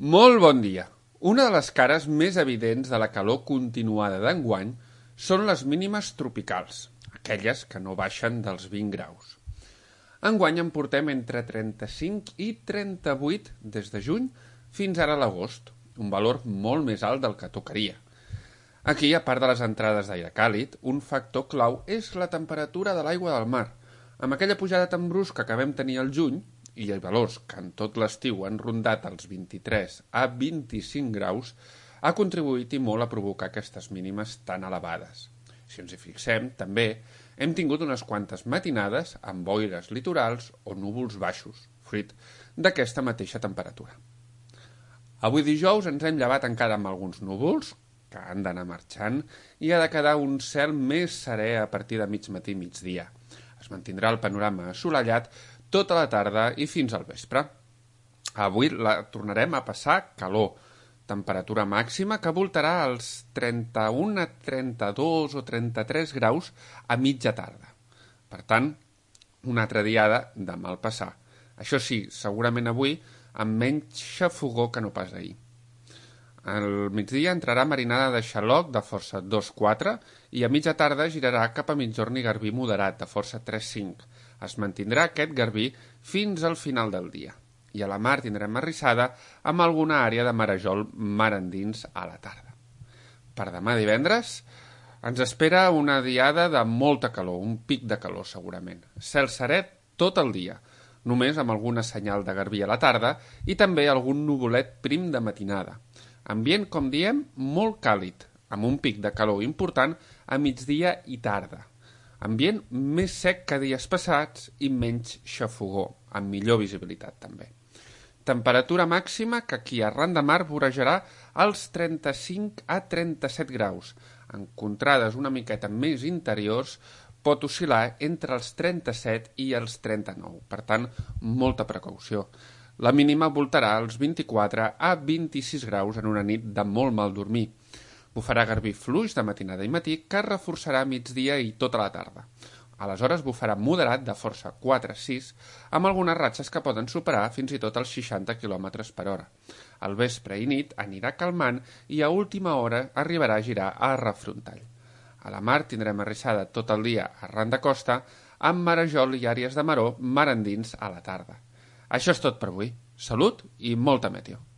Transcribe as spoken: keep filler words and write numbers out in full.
Molt bon dia. Una de les cares més evidents de la calor continuada d'enguany són les mínimes tropicals, aquelles que no baixen dels vint graus. Enguany en portem entre trenta-cinc i trenta-vuit des de juny fins ara a l'agost, un valor molt més alt del que tocaria. Aquí, a part de les entrades d'aire càlid, un factor clau és la temperatura de l'aigua del mar. Amb aquella pujada tan brusca que vam tenir al juny, i hi ha valors que en tot l'estiu han rondat els vint-i-tres a vint-i-cinc graus, ha contribuït i molt a provocar aquestes mínimes tan elevades. Si ens hi fixem, també, hem tingut unes quantes matinades amb boires litorals o núvols baixos, fruit d'aquesta mateixa temperatura. Avui dijous ens hem llevat encara amb alguns núvols, que han d'anar marxant, i ha de quedar un cel més serè a partir de mig matí i migdia. Es mantindrà el panorama assolellat tota la tarda i fins al vespre. Avui la tornarem a passar calor, temperatura màxima que voltarà als trenta-un a trenta-dos o trenta-tres graus a mitja tarda. Per tant, una altra diada de mal passar. Això sí, segurament avui amb menys xafogor que no pas ahir. Al migdia entrarà marinada de xaloc de força dos quatre i a mitja tarda girarà cap a migjorn i garbí moderat de força tres cinc. Es mantindrà aquest garbí fins al final del dia. I a la mar tindrem arrissada amb alguna àrea de marejol mar endins a la tarda. Per demà divendres ens espera una diada de molta calor, un pic de calor segurament. Cel serè tot el dia, només amb alguna senyal de garbí a la tarda i també algun nuvolet prim de matinada. Ambient, com diem, molt càlid, amb un pic de calor important a migdia i tarda. Ambient més sec que dies passats i menys xafogor, amb millor visibilitat també. Temperatura màxima que aquí arran de mar vorejarà als trenta-cinc a trenta-set graus. En contrades una miqueta més interiors pot oscil·lar entre els trenta-set i els trenta-nou. Per tant, molta precaució. La mínima voltarà als vint-i-quatre a vint-i-sis graus en una nit de molt mal dormir. Bufarà garbí fluix de matinada i matí que es reforçarà a migdia i tota la tarda. Aleshores bufarà moderat de força quatre sis amb algunes ratxes que poden superar fins i tot els seixanta quilòmetres per hora. Al vespre i nit anirà calmant i a última hora arribarà a girar a refrontall. A la mar tindrem arrissada tot el dia arran de costa amb marejol i àrees de maror mar endins a la tarda. Això és tot per avui. Salut i molta meteo.